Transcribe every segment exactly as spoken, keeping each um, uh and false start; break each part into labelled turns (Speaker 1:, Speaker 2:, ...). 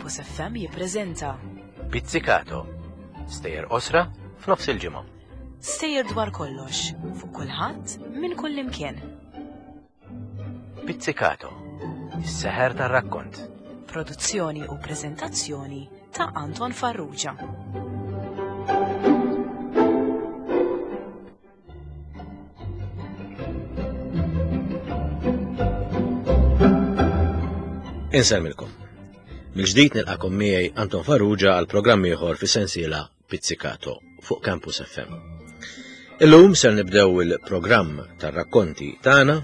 Speaker 1: Campus F M jippreżenta
Speaker 2: Pizzicato. Stejjer qosra f'nofs il-ġimgħa.
Speaker 1: Stejjer dwar kollox, fuq kulħadd, minn kull imkien.
Speaker 2: Pizzicato. Is-seħer tar-rakkont.
Speaker 1: Produzzjoni u preżentazzjoni ta' Anton Farrugia.
Speaker 2: Insellmilkom. Mill-ġdid nilqakom miegħi Anton Farrugia għal programm ieħor fi sensiela Pizzicato fuq Campus F M. Illum ser nibdew il-programm tar-rakkonti tagħna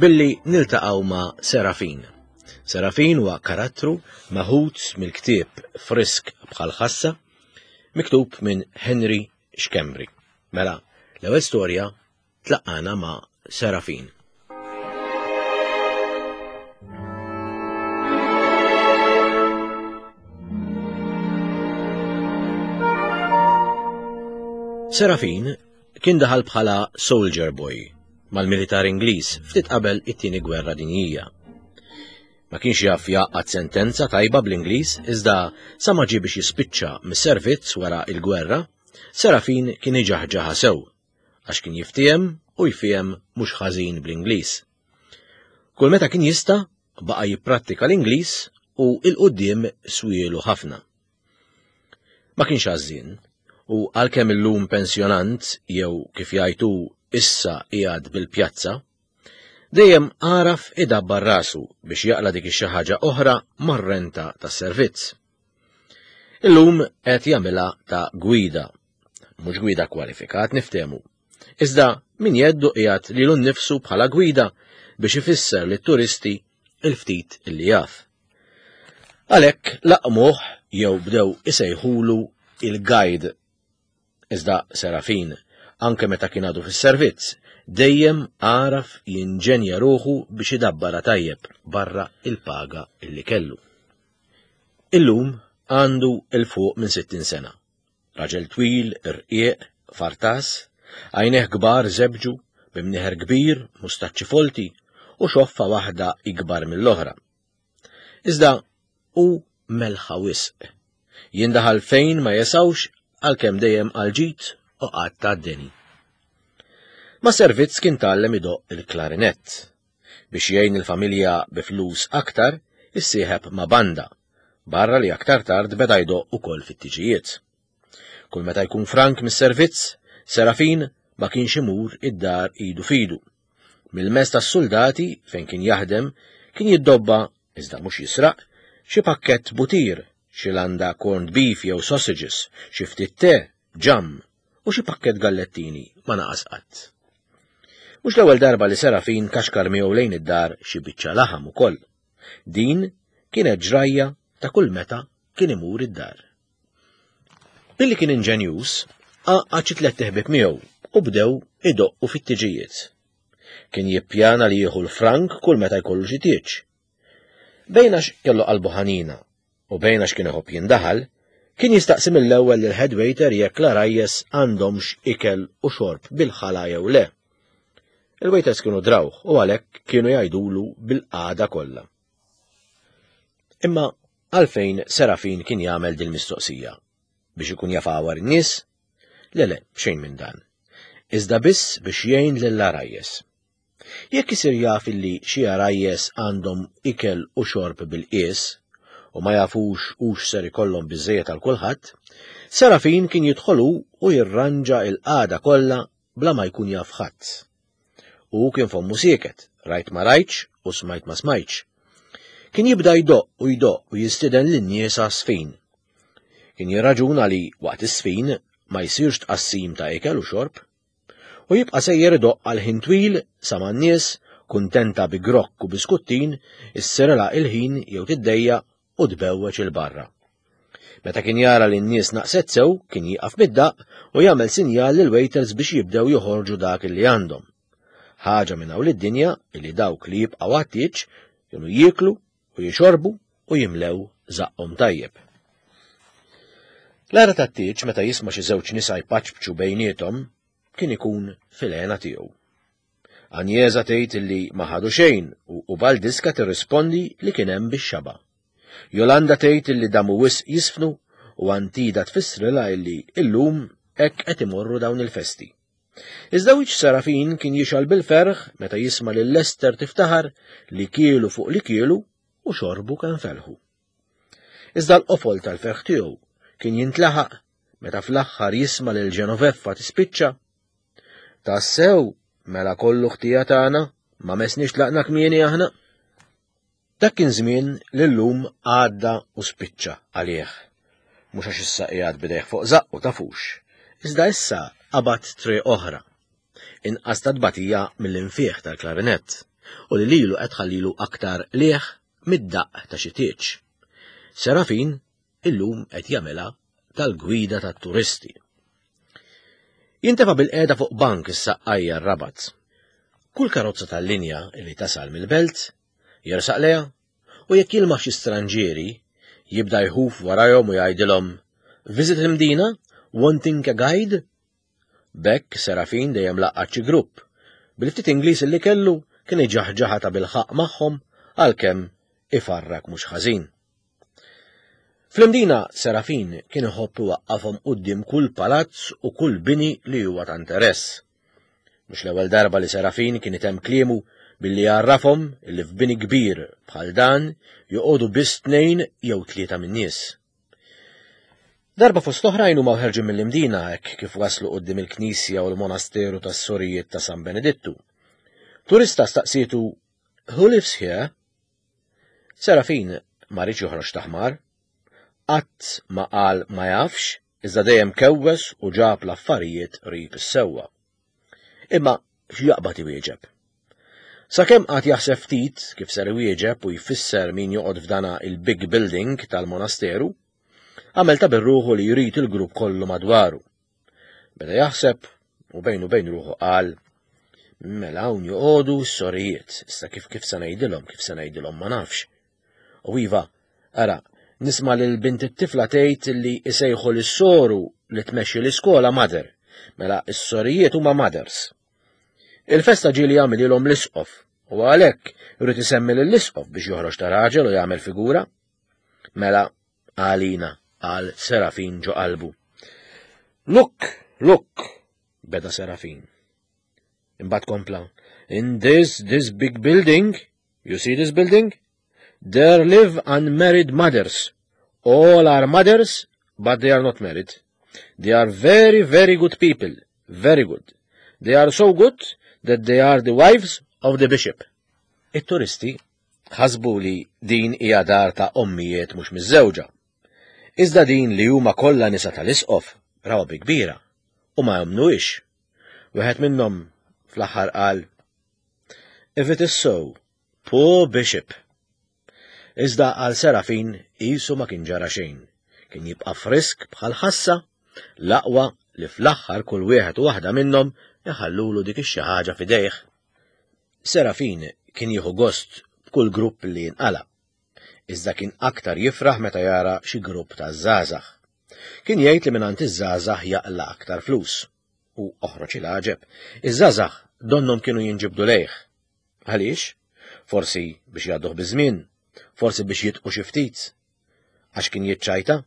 Speaker 2: billi niltaqgħu ma' Serafin. Serafin huwa karattru meħud mill-ktieb Frisk bħal ħassa, miktub minn Henry Schembri. Mela, l-ewwel storja tlaqqana ma' Serafin. Serafin kien daħal bħala soldier boy mal-militar Ingliż ftit qabel it-tieni gwerra dinjija. Ma kienx jaf jaqgħad sentenza tajba bl-Ingliż, iżda sa ma ġie biex jispiċċa mis-servizz wara il-gwerra, Serafin kien iġaħġaħa sew, għax kien jiftiehem u jfiehem mhux ħażin bl-Ingliż. Kull meta kien jista' baqa' jipprattika l-Ingliż u il-qudiem swielu ħafna. Ma kienx għażżien, u għalkemm illum pensjonant jew kif jgħidu issa qiegħed bil-pjazza, dejjem għaraf idabbar rasu biex jaqla dik ix-xi ħaġa oħra mar-renta tas-servizz. Illum qed jagħmilha ta' gwida, mhux gwida kwalifikat niftehmu. Iżda min jeddu qiegħed lilu nnifsu bħala gwida biex ifisser lit-turisti il-ftit illi jaf. Għalhekk laqmuh jew bdew isejħulu il-guide. Iżda Serafin, anke meta kien għadu fis-servizz, dejjem għaraf jinġenja ruħu biex idabbara tajjeb barra il-paga illi kellu. Illum għandu 'il fuq minn sittin sena. Raġel twil, irqiq, fartas, għajnejh kbar żebġu, b'imnieħer kbir, mustaċċi folti u xoffa waħda ikbar mill-oħra. Iżda hu melħa wisq. Jindaħal fejn ma jesawx, għalkemm dejjem għal-ġid u qatt għad-deni. Ma servizz kien tgħallem idoqq il-klarinett. Biex jgħin il-familja bi flus aktar, issieħeb ma' banda, barra li aktar tard beda jdoqq ukoll fit-tiġijiet. Kull meta jkun frank mis-servizz, Serafin ma kienx imur id-dar idu fidu. Mill-mess tas-soldati fejn kien jaħdem kien jiddobba, iżda mhux jisraq, xi pakkett butir, xi landa corned beef jew sausages, xi ftit te, ġam u xi pakkett gallettini ma naqas qatt. Mhux l-ewwel darba li Serafin kaxkar miegħu lejn id-dar xi biċċa laħam ukoll. Din kienet ġrajja ta' kull meta kien imur id-dar. Billi kien inġenjuż, għaqqad xi tliet ħbieb miegħu u bdew idoqqu fit-tiġijiet. Kien jippjana li jieħu l-frank kull meta jkollu xi tieġ. Bejn għax kellu qalbu ħanina u bejn għax kien iħobb jindaħal, kien jistaqsi mill-ewwel lil head waiter jekk l-għarajjes għandhomx ikel u xorb bil-ħala jew le. Il-waiters kienu drawh u għalhekk kienu jgħidulu bil-qagħda kollha. Imma għalfejn Serafin kien jagħmel dil-mistoqsija? Biex ikun jaf għawar in-nies? Le, le, xejn minn dan. Iżda biss biex jgħin lill-għarajjes. Jekk isir jaf illi xi għarajjes għandhom ikel u xorb bil-qies u ma jafux hux ser ikollhom biżejjed għal kulħadd, Serafin kien jidħolu u jirranġa il-qagħda kollha bla ma jkun jaf ħadd. U kien fommu sieket, rajt ma rajtx u smajt ma smajtx. Kien jibda jdoqq u jdoqq u jistieden lin-nies għas-sfin. Kien jirraġuna li waqt is-sfin ma jsirx tqassim ta' ikel u xorb, u jibqa' sejjer idoqq għal ħin twil sa ma n-nies, kuntenta bi grokk u biskuttin, issirela il-ħin jew tiddejja u tbewweġ il-barra. Meta kien jara li n-nies naqset sew, kien jieqaf mid-daqq u jagħmel sinjal lil waiters biex jibdew joħorġu dak li għandhom. Ħaġa minn hawn lid-dinja illi dawk li jibqgħu għat-tieġ kienu jieklu u jixorbu u jimlew żaqqhom tajjeb. L-ara tat-tieġ meta jisma' xi żewġ nisa jpaċpċu bejniethom kien ikun fil-għena tiegħu. Anjeza tgħid illi ma ħadu xejn u Baldiska tirrispondi li kien hemm bix-xaba. Jolanda tgħid illi damu wisq jisfnu u Antida tfissrilha illi illum hekk qed imorru dawn il-festi. Iżda wiċċ Serafin kien jixgħel bil-ferħ meta jisma' lil Lester tiftaħar li kielu fuq li kielu u xorbu kemm felħu. Iżda l-qofol tal-ferħ tiegħu kien jintlaħaq meta fl-aħħar jisma' lil Ġenoveffa tispiċċa. Tassew, mela kollu ħtija tagħna, ma messniex tlaqna kmieni aħna. Dak kien żmien li llum għadda u spiċċa għalih. Mhux għax issa qiegħed bidejh fuq żaqqu tafux, iżda issa qabad triq oħra. Inqas ta' tbatija mill-infieħ tal-klarinett u li lilu qed tħallilu aktar qligħ mid-daqq ta' xi tieġ. Serafin illum qed jagħmilha tal-gwida tat-turisti. Jintefa' bil-qiegħda fuq bank is-Saqqajja r-Rabat. Kull karozza tal-linja li tasal mill-belt jersaq lejha u jekk jilmaħ xi stranġieri jibda jħuf warajhom u jgħidilhom Visit l-Imdina, wanting a guide? B'hekk Serafin dejjem laqqat xi grupp. Bil-ftit Ingliż li kellu kien iġaħġaħa ta' bil-ħaqq magħhom għalkemm ifarrak mhux ħażin. Fl-Imdina Serafin kien iħobb iwaqqafhom quddiem kull palazz u kull bini li huwa ta' interess. Mhux l-ewwel darba li Serafin kien itemm kliemu billi jgħarrafhom li f'bini kbir bħal dan joqogħdu biss tnejn jew tlieta min-nies. Darba fost oħrajn huma ħerġin mill-Imdina hekk kif waslu quddiem il-knisja u l-monasteru tas-sorijiet ta' San Benedittu. Turista staqsietu, "Who lives here?" Serafin ma riedx joħroġ ta' ħmar. Qatt ma qal ma jafx, iżda dejjem kewwes u ġab l-affarijiet qrib is-sewwa. Imma x'jaqbad iwieġeb? Sakemm qagħad jaħseb ftit kif ser iwieġeb u jfisser min joqgħod f'dana il-big building tal-monasteru, għamel ta' bir-ruħu li jrid il-grupp kollu madwaru. Beda jaħseb u bejnu bejn ruħu qal, mela hawn joqogħdu s-sorijiet, issa kif kif se ngħidilhom, kif se ngħidilhom ma nafx. U iva, ara, nisma' lil bint it-tifla tgħid li isejħu lis-soru li tmexxi l-iskola mother, mela s-sorijiet huma mothers. Il-festa ġieli jagħmilhom l-isqof, u għalhekk irid isemmi lill-isqof biex joħroġ ta' raġel u jagħmel figura. Mela għalina, qal Serafin ġo qalbu. Look, look, beda Serafin. Imbagħad kompla, in this, this big building, you see this building? There live unmarried mothers. All are mothers, but they are not married. They are very, very good people. Very good. They are so good that they are the wives of the bishop. It-turisti ħasbu li din hija dar ta' ommijiet mhux miżżewġa. Iżda din li huma kollha nisa tal-isqof rawha bi kbira u ma jemmnuhiex. Wieħed minnhom fl-aħħar qal If it is so, poor bishop. Iżda għal Serafin qisu ma kien ġara xejn. Kien jibqa' frisk bħal ħassa, l-aqwa li fl-aħħar kull wieħed u waħda minnhom iħallulu dik ix-xi ħaġa f'idejh. Serafin kien jieħu gost b'kull grupp li jinqala. Iżda kien aktar jifraħ meta jara xi grupp ta' żgħażagħ. Kien jgħid li mingħand iż-żgħażagħ jaqla' aktar flus. U oħroġ il-għaġeb, iż-żgħażagħ donnhom kienu jinġibdu lejh. Għaliex? Forsi biex jgħadduh biż-żmien, forsi biex jidħku xi ftit. Għax kien jiċċajta?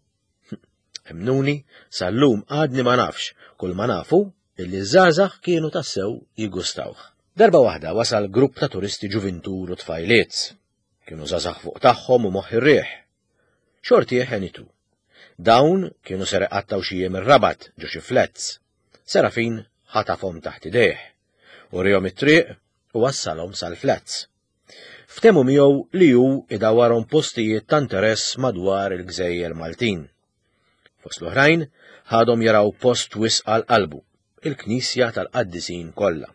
Speaker 2: Emmnuni, sal-lum għadni ma nafx, kull ma nafu illi żgħażagħ kienu tassew jigustawh. Darba waħda wasal grupp ta' turisti ġuvintur u tfajliet. Kienu żgħażagħ fuq tagħhom u moħħ ir-riħ. Xorti ħenitu. Dawn kienu ser iqattgħu xi jiem ir-Rabat ġo xi flats. Serafin ħatafhom taħt idejh. Uriehom it-triq u wassalhom sal-flats. Ftehmu miegħu li hu idawwarhom postijiet ta' interess madwar il-gżejjer Maltin. Fost l-oħrajn ħadhom jaraw post wisq għal qalbu, il-Knisja tal-Qaddisin kollha.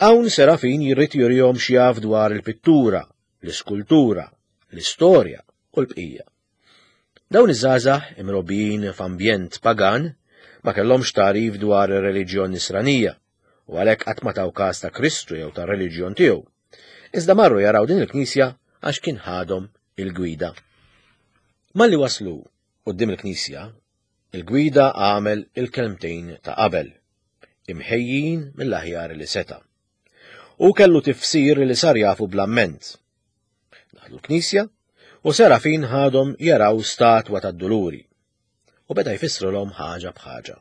Speaker 2: Hawn Serafin jrid jurihom x'jaf dwar il-pittura, l-iskultura, l-istorja u l-bqija. Dawn iż-żgħażagħ imrobbijin f'ambjent pagan ma kellhomx tagħrif dwar ir-reliġjon nisranija u għalhekk qatt ma taw każ ta' Kristu jew tar-reliġjon tiegħu. Iżda marru jaraw din il-knisja għax kien ħadhom il-gwida. Malli waslu quddiem il-knisja, il-gwida għamel il-kelmtejn ta' qabel, imħejjin mill-aħjar li seta'. U kellu tifsir li sar jafu bl-amment. Daħlu l-knisja U Serafin ħadhom jaraw statwa tad-Duluri u beda jfissrulhom ħaġa b'ħaġa.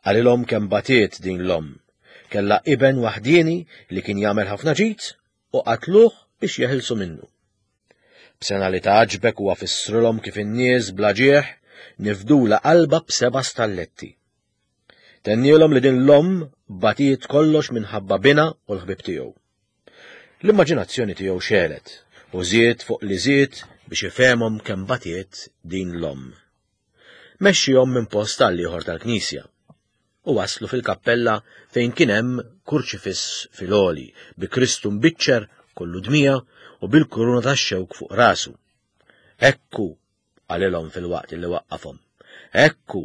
Speaker 2: Qalilhom kemm batiet din l-omm, kellha iben waħdieni li kien jagħmel ħafna ġid u qatluh biex jeħilsu minnu. B'sena li tgħaġbek huwa fissrulhom kif in-nies bla ġieħ nifdula qalba b'seba' stalletti. Tennielhom li din l-omm batiet kollox minħabba bina u l-ħbib tiegħu. L-immaġinazzjoni tiegħu xelet u żied fuq li żied biex ifehmhom kemm batiet din l-omm. Mexxihom minn post għal ieħor tal-knisja u waslu fil-kappella fejn kien hemm kurċifiss fil-għoli bi Kristu mbiċċer kollu dmija u bil-kuruna tax-xewk fuq rasu. Ekku, qalilhom fil-waqt li waqqafhom, ekku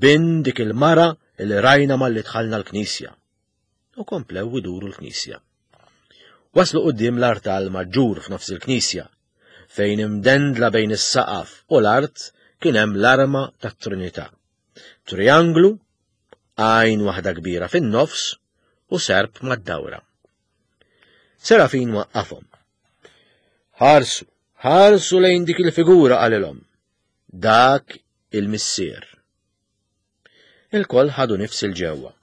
Speaker 2: bin dik il-mara li rajna malli dħalna l-knisja. U komplew iduru l-knisja. Waslu quddiem l-artal maġġur f'nofs il-knisja, fejn imdendla bejn is-saqaf u l-art kien hemm l-arma tat-Trinità. Trianglu, għajn waħda kbira fin-nofs u serp mad-dawra. Serafin waqqafhom. Ħarsu, ħarsu lejn dik il-figura, qalilhom. Dak il-missier. Il-koll ħadu nifs il-ġewwa.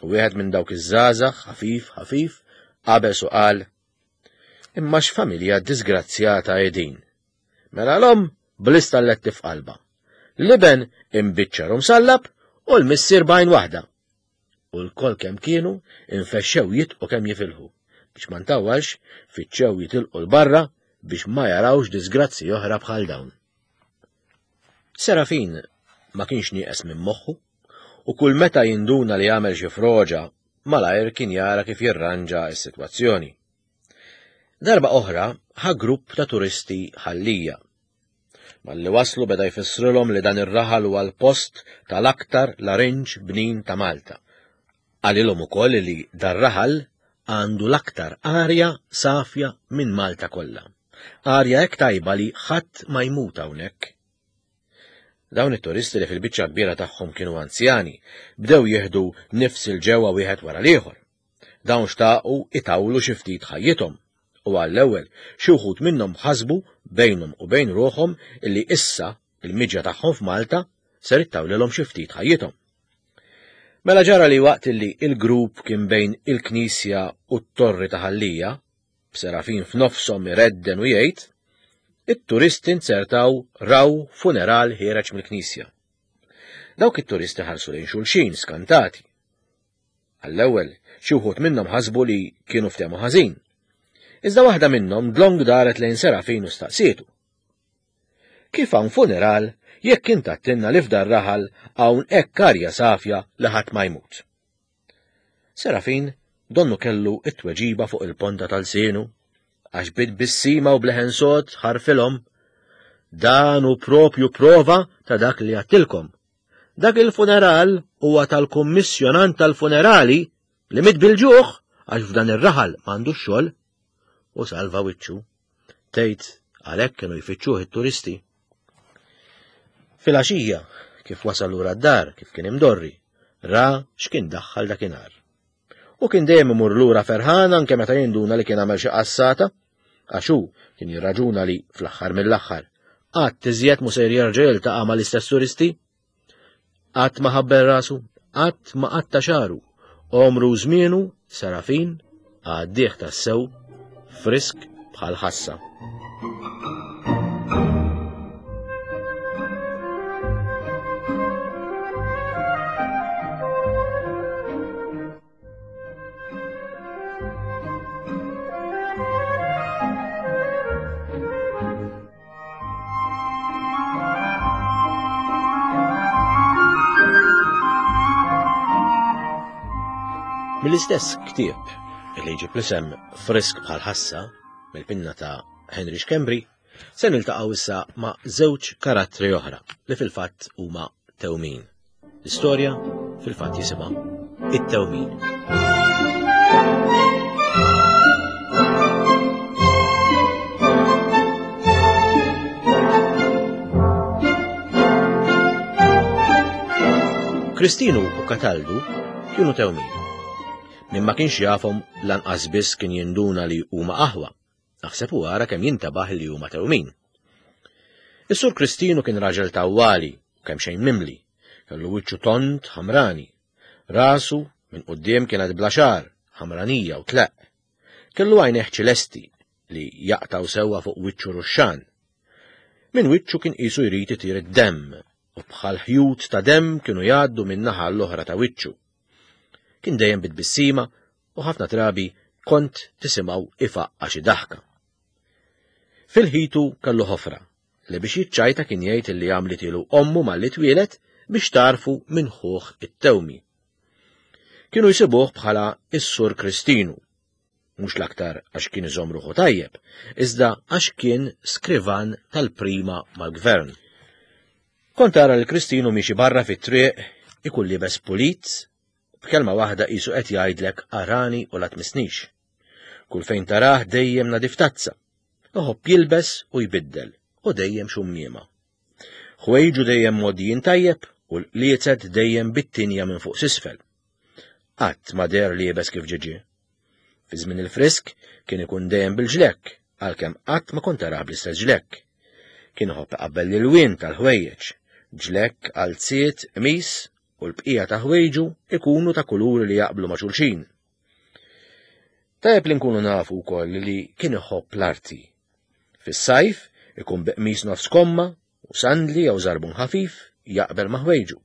Speaker 2: U wieħed minn dawk iż-żgħażagħ ħafif ħafif qabeż u qal: Imma x'familja disgrazzjata qegħdin. Mela l-omm bl-istalletti f'qalba. L-iben imbiċċer u msallab u l-missier b'għajn waħda. U l-koll kemm kienu infexxew jitqu kemm jifilħu biex ma ntawwalx fittxew jitilqu l-barra biex ma jarawx disgrazzi oħra bħal dawn. Serafin ma kienx nieqes minn moħħu u kull meta jinduna li jagħmel xi froġa malajr kien jara kif jirranġa s-sitwazzjoni. Darba oħra ħa grupp ta' turisti Ħal Lija. Malli waslu beda jfissrilhom li dan ir-raħal huwa l-post tal-aktar larinġ bnin ta' Malta. Qalilhom ukoll li dar-raħal għandu l-aktar arja safja minn Malta kollha. Arja hekk tajba li ħadd ma jmut hawnhekk. Dawn it-turisti li fil-biċċa kbira tagħhom kienu anzjani bdew jieħdu nifs il-ġewwa wieħed wara l-ieħor. Dawn xtaqu itawlu xi ftit ħajjithom u għall-ewwel xi wħud minnhom ħasbu bejnhom u bejn ruħhom illi issa il-miġja tagħhom f'Malta ser ittawlilhom xi ftit ħajjithom. Mela ġara li waqt illi il-grupp kien bejn il-knisja u t-torri ta' Ħal Lija, b'Serafin f'nofshom iredden u jgħid, it-turisti nzertaw raw funeral ħiereġ mill-knisja. Dawk it-turisti ħarsu lejn xulxin skantati. Għall-ewwel xi wħud minnhom ħasbu li kienu ftehmu ħażin. Iżda waħda minnhom dlong daret lejn Serafin u staqsietu. Kif hawn funeral jekk int għattilna li f'dar raħal hawn hekk arja safja li ħadd ma jmut? Serafin donnu kellu it-tweġiba fuq il-ponta tal-sienu, għax bid bissima u bleħen sod ħarfilhom. Dan hu propju prova ta' dak li għattilkom. Dak il-funeral huwa tal-kummissjonant tal-funerali li mit bil-ġuħ għax f'dan ir-raħal m'għandux xogħol. U salva wiċċu. Tgħid għalhekk kienu jfittxuh it-turisti. Filgħaxija, kif wasal lura d-dar, kif kien imdorri, ra x'kien daħħal dakinhar. U kien dejjem imur lura ferħan anke meta jinduna li kien għamel xi qassata, għax hu kien jirraġuna li fl-aħħar mill-aħħar qatt iżjed mhu ser jerġa' jiltaqa' mal-istess turisti. Qatt ma ħabbel rasu, qatt ma qatta xagħru, għomru u żmienu Serafin għaddih tassew frisk bħal ħassa. Mill-istess ktieb li jġib l-isem Frisk bħal ħassa mill-pinna ta' Henry Schembri, se niltaqgħu issa ma' żewġ karattri oħra li fil-fatt huma tewmin. L-istorja fil-fatt jisimha It-Tewmin. Kristinu u Kataldu kienu tewmin. Min ma kienx jafhom lanqas biss kien jinduna li huma aħwa. Naħseb u ara kemm jintabaħ li huma tewmin. Is-Sur Kristinu kien raġel tawwali, kemm xejn mimli, kellu wiċċu tond ħamrani. Rasu minn quddiem kienet bla xagħar, ħamranija u tleq. Kellu għajnejh ċelesti li jaqtaw sewwa fuq wiċċu ruxxan. Minn wiċċu kien qisu jrid itir id-demm u bħal ħjut ta' demm kienu jgħaddu minn naħa l-oħra ta' wiċċu. Kien dejjem bitbissima u ħafna drabi kont tisimgħu ifaqqa xi daħka. Fil-ħitu kellu ħofra li biex jiċċajta kien jgħid li għamlitilu ommu malli twieled biex tarfu minn ħuh it-tewmi. Kienu jsibuh bħala is-Sur Kristinu, mhux l-aktar għax kien iżomm ruħu tajjeb, iżda għax kien skrivan tal-prima mal-gvern. Kont tara li Kristinu miexi barra fit-triq ikun liebes pulit, b'kelma waħda qisu qed jgħidlek arani u la tmissnix. Kull fejn tarah dejjem nadif tazza, iħobb jilbes u jbiddel u dejjem xummiema. Ħwejġu dejjem mgħoddijin tajjeb u l-qliezet dejjem bit-tinja minn fuq s'isfel. Qatt ma deher liebes kif ġie. Fi żmien il-frisk kien ikun dejjem bil-ġlekk, għalkemm qatt ma kont tarah bl-istess ġlekk. Kien iħobb iqabbel l-ilwien tal-ħwejjeġ, ġlekk, qalziet, qmis u l-bqija ta' ħwejġu ikunu ta' kuluri li jaqblu ma' xulxin. Tajjeb li nkunu nafu wkoll li kien iħobb l-arti. Fis-sajf ikun bi qmis nofs komma u sandli jew żarbun ħafif jaqbel ma' ħwejġu.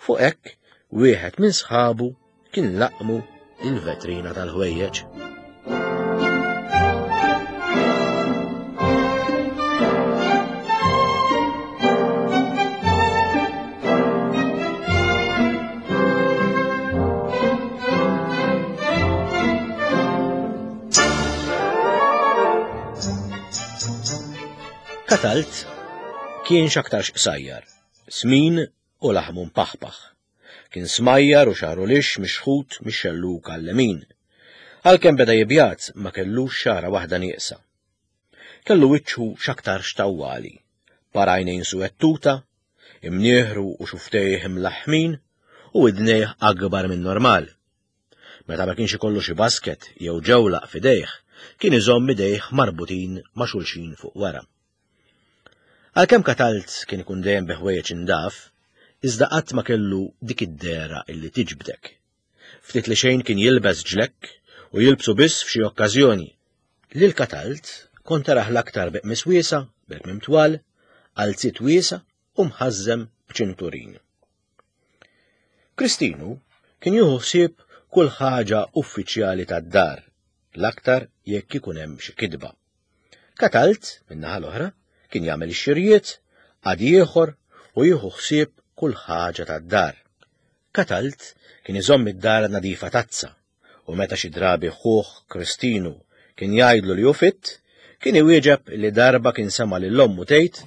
Speaker 2: Fuq hekk wieħed minn sħabu kien laqmu il-vetrina tal-ħwejjeġ. Katalt kien x'aktarx qsajjar, smin u laħmu mpaħpaħ. Kien smajjar u xagħru lix mixħut mix-xelluk għall-lemin. Għalkemm beda jibjat ma kellux xagħra waħda nieqsa. Kellu wiċċu x'aktarx tawwali, par għajnejn suwettuta, imnieħru u xuftejh imlaħħmin u idnejh akbar minn normal. Meta ma kienx ikollu xi basket jew ġewlaq f'idejh, kien iżomm idejh marbutin ma' xulxin fuq wara. Għalkemm Katalt kien ikun dejjem bi ħwejjeġ indaf, iżda qatt ma kellu dik id-dehra illi tiġbdek. Ftit li xejn kien jilbes ġlekk u jilbsu biss f'xi okkażjoni. Lil Katalt kont tarah l-aktar bi qmis wiesa', bil-kmiem twal, qalziet wiesa' u mħażżem b'ċinturin. Kristinu kien jieħu ħsieb kull ħaġa uffiċjali tad-dar, l-aktar jekk ikun hemm xi kitba. Katalt, min-naħa l-oħra, kien jagħmel ix-xirjiet, għad ieħor u jieħu ħsieb kull ħaġa tad-dar. Katalt kien iżomm id-dar nadifa tazza u meta xi drabi ħuh Kristinu kien jgħidlu li hu fitt, kien iwieġeb li darba kien sema' lil ommu tgħid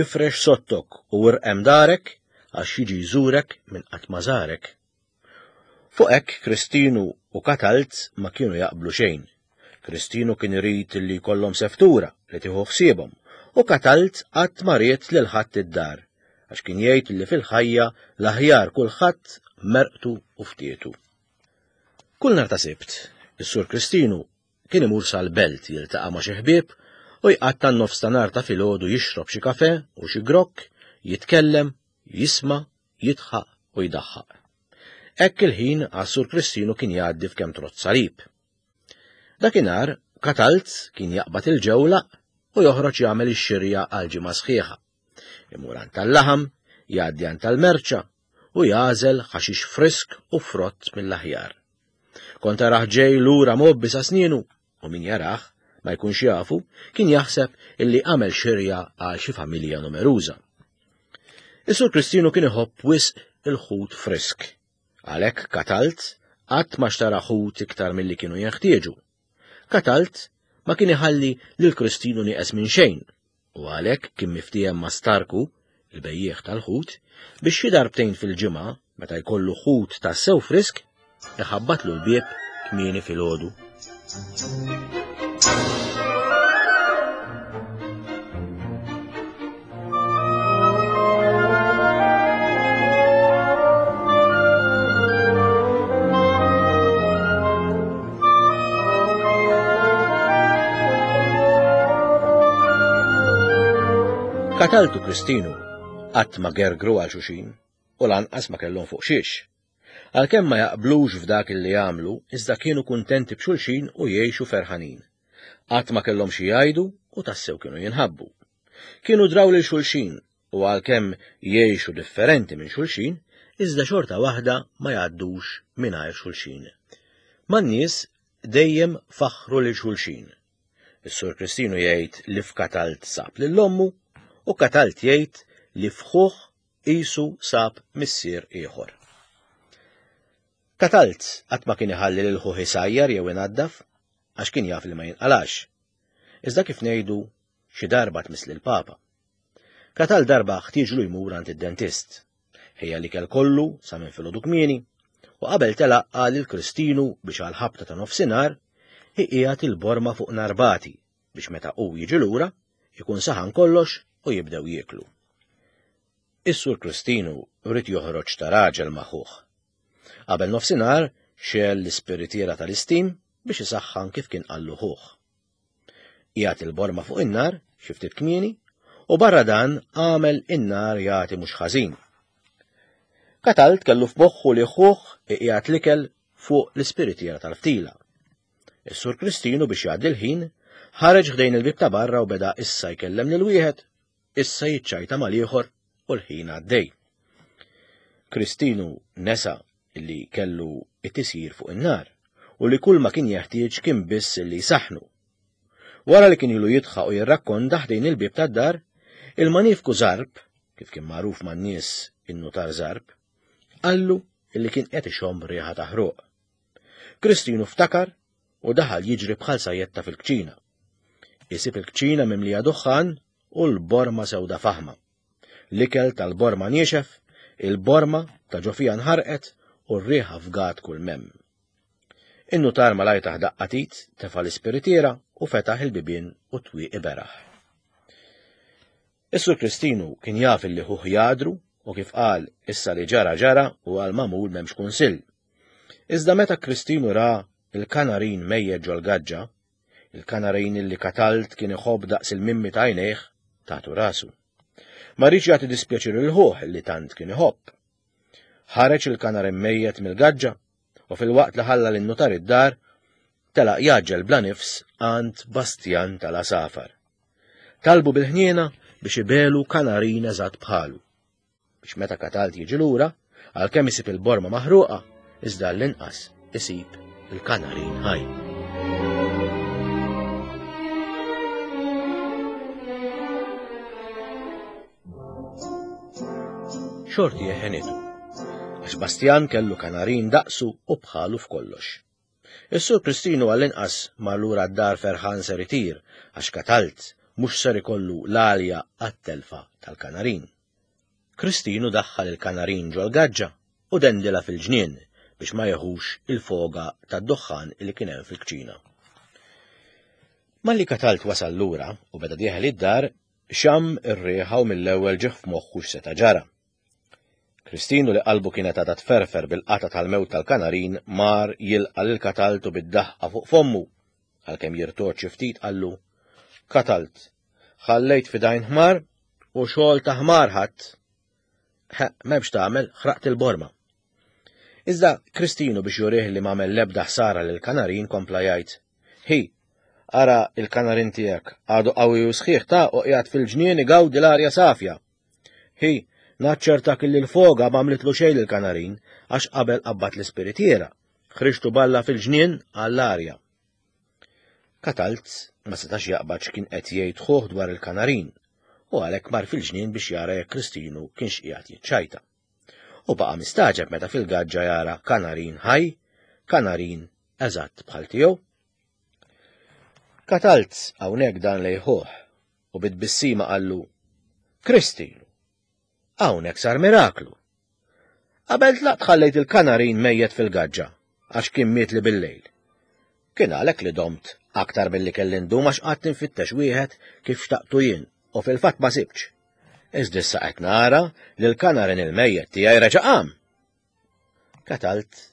Speaker 2: ifrex sottok u irqem darek għax jiġi jżurek minn qatt ma żarek. Fuq hekk Kristinu u Katalt ma kienu jaqblu xejn. Kristinu kien irid li jkollhom seftura li tieħu ħsiebhom u Katalt qatt ma ried lil ħadd id-dar għax kien jgħid li fil-ħajja l-aħjar kulħadd merqtu u ftietu. Kull nhar ta' Sibt, is-Sur Kristinu kien imur sal-belt jiltaqa' ma' xi ħbieb u jqatta' n-nofs ta' nhar ta' filgħodu jixrob xi kafe u xi grokk, jitkellem, jisma', jidħaq u jdaħħaq. Hekk il-ħin għas-Sur Kristinu kien jgħaddi f'kemm trott salib. Dakinhar Katalt kien jaqbad il-ġewlaq u joħroġ jagħmel ix-xirja għal ġimgħa sħiħa. Imur għand tal-laħam, jgħaddi għand tal-merċa u jagħżel ħaxix frisk u frott mill-aħjar. Kont tarah ġej lura mgħobbi sa snienu u min jarah ma jkunx jafu kien jaħseb illi għamel xirja għal xi familja numeruża. Is-Sur Kristinu kien iħobb wisq il-ħut frisk. Għalhekk Katalt qatt ma xtara ħut iktar milli kienu jeħtieġu. Katalt ma kien iħalli lil Kristinu nieqes minn xejn u għalhekk kien miftiehem ma' Starku, il-bejjiegħ tal-ħut, biex xi darbtejn fil-ġimgħa meta jkollu ħut tassew frisk iħabbatlu l-bieb kmieni filgħodu. Katalt u Kristinu qatt ma gergru għal xulxin u lanqas ma kellhom fuq xiex. Għalkemm ma jaqblux f'dak li jagħmlu, iżda kienu kuntenti b'xulxin u jgħixu ferħanin. Qatt ma kellhom xi jgħidu u tassew kienu jinħabbu. Kienu draw lil xulxin u għalkemm jgħixu differenti minn xulxin, iżda xorta waħda ma jgħaddux mingħajr xulxin. Man-nies dejjem faħħru lil xulxin. Is-Sur Kristinu jgħid li f'Katalt sab lil ommu u Katalt jgħid li f'ħuh qisu sab missier ieħor. Katalt qatt ma kien iħalli lil ħuh isajjar jew inaddaf għax kien jaf li ma jinqalax. Iżda kif ngħidu xi darba tmiss lill-Papa. Katalt darba ħtieġlu jmur għand id-dentist. Ħejja l-ikel kollu sa minn filgħodu kmieni u qabel telaq qal lil Kristinu biex għal ħabta ta' nofsinhar iqiegħed il-borma fuq narbati biex meta hu jiġi lura ikun saħan kollox u jibdew jieklu. Is-Sur Kristinu rrid joħroġ ta' raġel ma' ħuh. Qabel nofsinhar xegħel l-ispiritiera tal-istim biex isaħħan kif kien qallu ħuh. Qiegħed il-borma fuq in-nar xi ftit kmieni u barra dan għamel in-nar jagħti mhux ħażin. Katalt kellu f'moħħu li ħuh iqiegħed l-ikel fuq l-ispiritiera tal-ftila. Is-Sur Kristinu biex jgħaddi l-ħin ħareġ ħdejn il-bieb ta' barra u beda issa jkellem lil wieħed, issa jiċċajta mal-ieħor u l-ħin għaddej. Kristinu nesa li kellu it-tisjir fuq in-nar u li kull ma kien jeħtieġ kien biss li jsaħħnu. Wara li kien ilu jidħaq u jirrakkonta ħdejn il-bieb tad-dar, il-manifku Zarb, kif kien magħruf man-nies in-nutar Zarb, qallu illi kien qed ixomm riħa ta' ħruq. Kristinu ftakar u daħal jiġri bħal sajjetta fil-kċina. Isib il-kċina mimlija duħħan u l-borma sewda faħma. L-ikel tal-borma niexef, il-borma ta' ġo fija nħarqet u r-riħa fgat kull mem. In-nutar malajr taħ daqqa t'id, tefa' l-ispiritiera u fetaħ il-bibien u twieqi beraħ. Is-Sur Kristinu kien jaf illi ħuh jadru u kif qal issa li ġara ġara u għal magħmul m'hemmx kunsill. Iżda meta Kristinu ra il-kanarin mejjet ġol-gaġġa, il-kanarin illi Katalt kien iħobb daqs il-mimmi ta' għajnejh, tatu rasu. Ma riedx jagħti dispjaċir lil ħuh li tant kien iħobb. Ħareġ il-kanarin mejjet mill-gaġġa u fil-waqt li ħalla lin-nutar id-dar, telaq jaġġel bla nifs għand Bastjan tal-Asafar. Talbu bil-ħniena biex ibelu kanarin eżatt bħalu. Biex meta Katalt jiġi lura, għalkemm isib il-borma maħruqa, iżda l-inqas isib il-kanarin ħaj. Xorti jeħenitu, għax Bastjan kellu kanarin daqsu u bħalu f'kollox. Is-Sur Kristinu għall-inqas mar lura d-dar ferħan ser itir, għax Katalt mhux ser ikollu l-għalja għat-telfa tal-kanarin. Kristinu daħħal il-kanarin ġol-gaġġa u dendila fil-ġnien biex ma jeħux il-foga tad-duħħan li kien hemm fil-kċina. Malli Katalt wasal lura u beda dieħel id-dar, xamm ir-riħa u mill-ewwel ġieħ f'moħħu x'seta' ġara. Kristinu li qalbu kienet għadha tferfer bil-qata tal-mewt tal-kanarin mar jilqa' lil Katalt u bid-daħqa fuq fommu, għalkemm jirtoċ xi ftit qallu: Katalt, ħallejt f'idajn ħmar u xogħol ta' ħmar ħadd. M'hemmx tagħmel, ħraqt il-borma. Iżda Kristinu biex jurih li m'għamel l-ebda ħsara lil kanarin kompla jgħid: Hi, ara il-kanarin tiegħek għadu qawwi u sħiħ ta' u qiegħed fil-ġnien igawdi l-arja safja. Hi, naċċertak illi l-foga m'għamlitlu xejn lill-kanarin għax qabel qabbat l-ispiritiera, ħriġtu balla fil-ġnien għall-arja. Katalt ma setax jaqbad x'kien qed jgħid ħuh dwar il-kanarin u għalhekk mar fil-ġnien biex jara jekk Kristinu kienx qiegħed jiċċajta. U baqa' mistaġeb meta fil-gaġġa jara kanarin ħaj, kanarin eżatt bħal tiegħu. Katalt hawnhekk dan lejħuh u bit-tbissima qallu: Kristinu, hawnhekk sar miraklu. Qabel tlaqt ħallejt il-kanarin mejjet fil-gaġġa għax kien miet li bil-lejl. Kien għalhekk li domt aktar milli kelli ndum għax qatt infittex wieħed kif xtaqtu jien u fil-fatt ma sibtx. Iżda issa qed nara li l-kanarin il-mejjet tiegħi reġa' qam. Katalt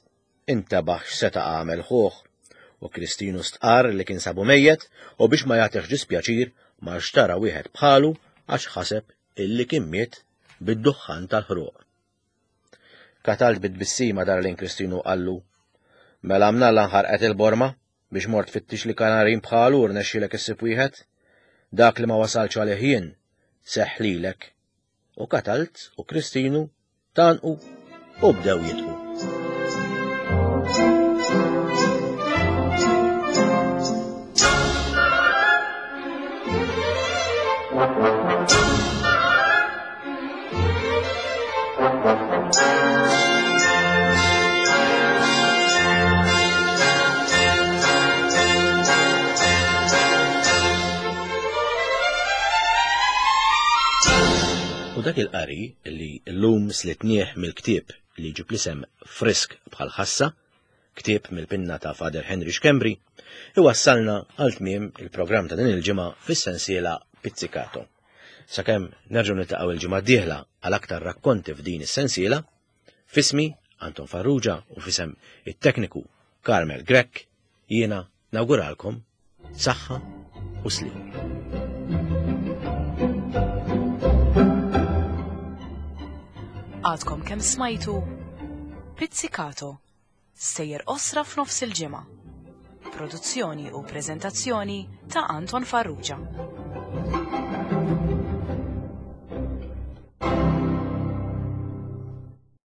Speaker 2: intabaħ x'seta' għamel ħuh u Kristinu stqarr li kien sabu mejjet u biex ma jagħtihx dispjaċir ma xtara wieħed bħalu għax ħaseb illi kien miet bid-duħħan tal-ħruq. Katalt bit-tbissima dar lejn Kristinu qallu, "Mela mnalla nħarqet il-borma biex mort fittix li kanarin bħalu u rnexxielek issib wieħed? Dak li ma wasalx għalih jien seħħ lilek." U Katalt u Kristinu tanqu u bdew jitqu. U dak il-qari li llum slitnieh mill-ktieb li ġib l-isem Frisk bħal ħassa, ktieb mill-pinna ta' Father Henry Schembri, iwassalna għal tmiem il-programm ta' din il-ġimgħa fis-sensiela Pizzicato. Sakemm nerġgħu niltaqgħu il-ġimgħa d-dieħla għal aktar rakkonti f'din is-sensiela, fismi Anton Farrugia u fisem it-tekniku Carmel Grech, jiena nawguralkom saħħa u sliem.
Speaker 1: Għadkom kemm smajtu Pizzicato, sejjer osra f'nofs il-ġimgħa. Produzzjoni u preżentazzjoni ta' Anton Farrugia.